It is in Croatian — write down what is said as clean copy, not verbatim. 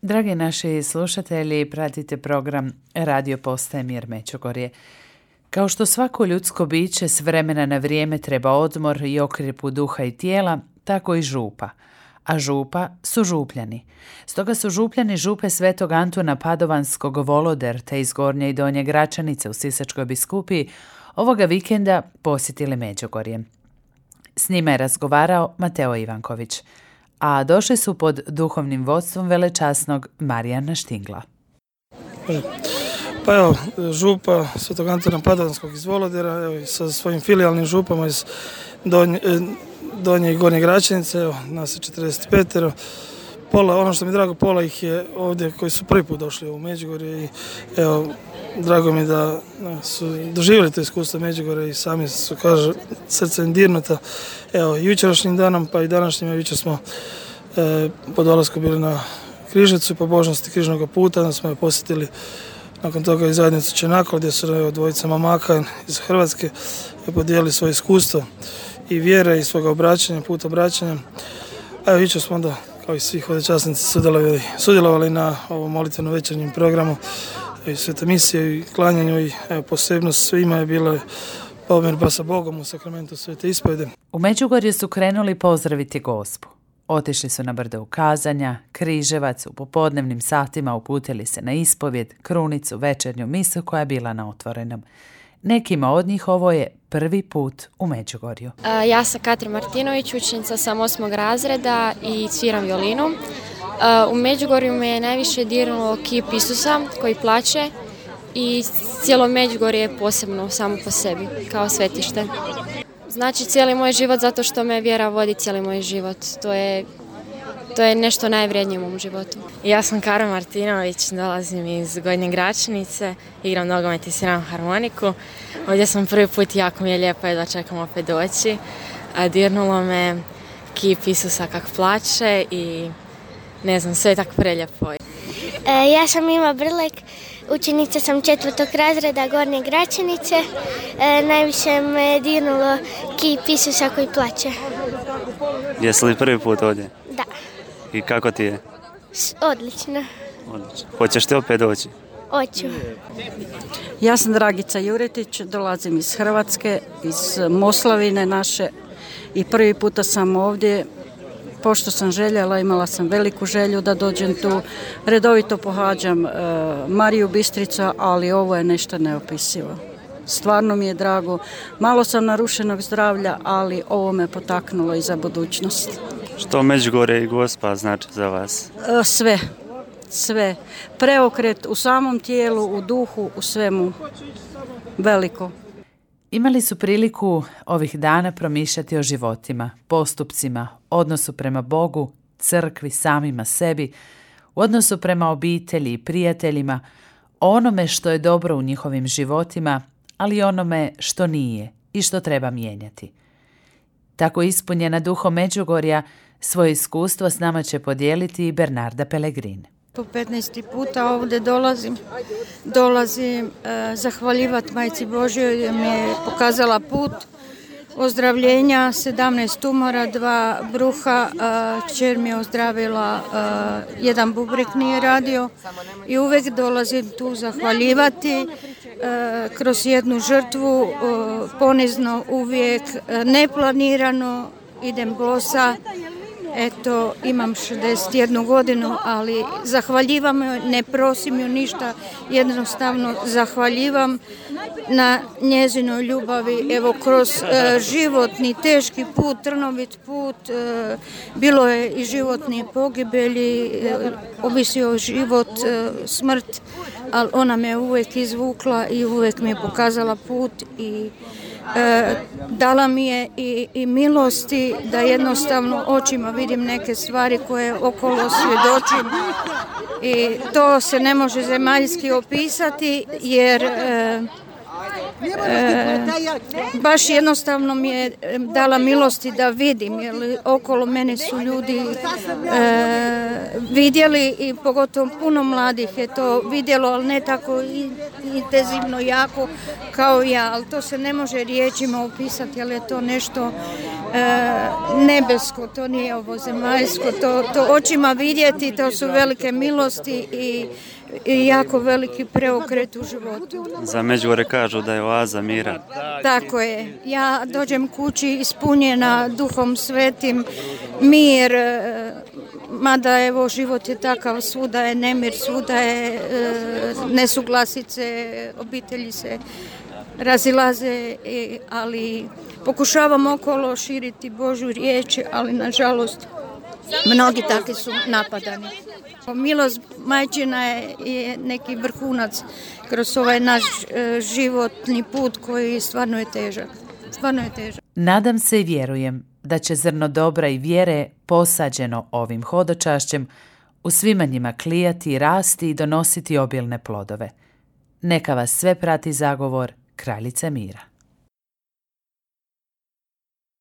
Dragi naši slušatelji, pratite program Radio Postaje Mir Međugorje. Kao što svako ljudsko biće s vremena na vrijeme treba odmor i okrjepu duha i tijela, tako i župa. A župa su župljani. Stoga su župljani župe Svetog Antuna Padovanskog Voloder te iz Gornje i Donje Gračanice u Sisačkoj biskupiji ovoga vikenda posjetili Međugorje. S njima je razgovarao Mateo Ivanković, a došli su pod duhovnim vodstvom velečasnog Marijana Štingla. Pa evo, župa Svetog Antuna Padovanskog iz Volodera, evo, sa svojim filijalnim župama iz Donje i Gornje Gračanice, evo, nas je 45. Pola, ono što mi je drago, pola ih je ovdje koji su prvi put došli u Međugorje i evo, drago mi da su doživjeli to iskustvo Međugorje i sami su, kaže, srce im dirnuta. Evo, jučerašnjim danom pa i današnjim, jučer smo po dolasku bili na Križevcu, po božnosti Križnog puta, onda smo je posjetili nakon toga i zajednicu Čenakol, gdje su dvojica mamaka iz Hrvatske podijelili svoje iskustvo i vjere i svoga obraćanja, put obraćanja. A evo, jučer smo onda, kao i svih ovdje časnici, sudjelovali na ovom molitveno večernjem programu i svete misije i klanjanju i evo, posebnost svima je bila pomirba sa Bogom u sakramentu svete ispovjedi. U Međugorju su krenuli pozdraviti Gospu. Otišli su na brdo ukazanja, Križevac, u popodnevnim satima uputili se na ispovjed, krunicu, večernju misu koja je bila na otvorenom. Nekima od njih ovo je prvi put u Međugorju. Ja sam Katrin Martinović, učenica sam 8. razreda i sviram violinu. U Međugorju me je najviše dirnulo kip Isusa koji plače i cijelo Međugorje je posebno samo po sebi, kao svetište. Znači cijeli moj život zato što me vjera vodi cijeli moj život. To je nešto najvrijednije u mom životu. Ja sam Kara Martinović, dolazim iz Gornje Gračanice, igram nogomet i sviram harmoniku. Ovdje sam prvi put, jako mi je lijepo da čekam opet doći. Dirnulo me kip Isusa kak plače i ne znam, sve je tako prelijepo. Ja sam Ima Brlek, učenica sam 4. razreda Gornje Gračanice. Najviše me dirnulo kip Isusa koji plače. Jesi li prvi put ovdje? Da. I kako ti je? Odlično. Hoćeš ti opet doći? Hoću. Ja sam Dragica Juretić, dolazim iz Hrvatske, iz Moslavine naše i prvi puta sam ovdje. Pošto sam željela, imala sam veliku želju da dođem tu. Redovito pohađam Mariju Bistricu, ali ovo je nešto neopisivo. Stvarno mi je drago. Malo sam narušenog zdravlja, ali ovo me potaknulo i za budućnost. Što Međugorje i Gospa znači za vas? Sve. Preokret u samom tijelu, u duhu, u svemu. Veliko. Imali su priliku ovih dana promišljati o životima, postupcima, odnosu prema Bogu, crkvi, samima sebi, u odnosu prema obitelji i prijateljima, o onome što je dobro u njihovim životima, ali i onome što nije i što treba mijenjati. Tako ispunjena duhom Međugorja, svoje iskustvo s nama će podijeliti i Bernarda Pellegrin. Po 15. puta ovdje dolazim zahvaljivati Majci Božjoj jer mi je pokazala put ozdravljenja, 17 tumora, 2 bruha, kćer mi je ozdravila, 1 bubreg nije radio i uvijek dolazim tu zahvaljivati kroz jednu žrtvu, ponizno uvijek, neplanirano, idem bosa. Eto, imam 61 godinu, ali zahvaljivam joj, ne prosim ju ništa, jednostavno zahvaljivam na njezinoj ljubavi. Evo, kroz životni, teški put, trnovit put, bilo je i životne pogibelji, ovisio život, smrt, ali ona me uvijek izvukla i uvijek mi je pokazala put i dala mi je i milosti da jednostavno očima vidim neke stvari koje okolo svjedočim i to se ne može zemaljski opisati jer baš jednostavno mi je dala milosti da vidim, jer okolo mene su ljudi vidjeli i pogotovo puno mladih je to vidjelo, ali ne tako intenzivno jako kao ja, ali to se ne može riječima opisati, ali je to nešto nebesko, to nije ovo zemaljsko, to očima vidjeti, to su velike milosti i jako veliki preokret u životu. Za Međugorje kažu da je oaza mira. Tako je. Ja dođem kući ispunjena Duhom Svetim, mir, mada evo život je takav, svuda je nemir, svuda je nesuglasice, obitelji se razilaze, ali pokušavam okolo širiti Božju riječ, ali nažalost mnogi takvi su napadani. Milost majčina je neki vrhunac kroz ovaj naš životni put koji stvarno je težak. Nadam se i vjerujem da će zrno dobra i vjere posađeno ovim hodočašćem u svima njima klijati, rasti i donositi obilne plodove. Neka vas sve prati zagovor Kraljice mira.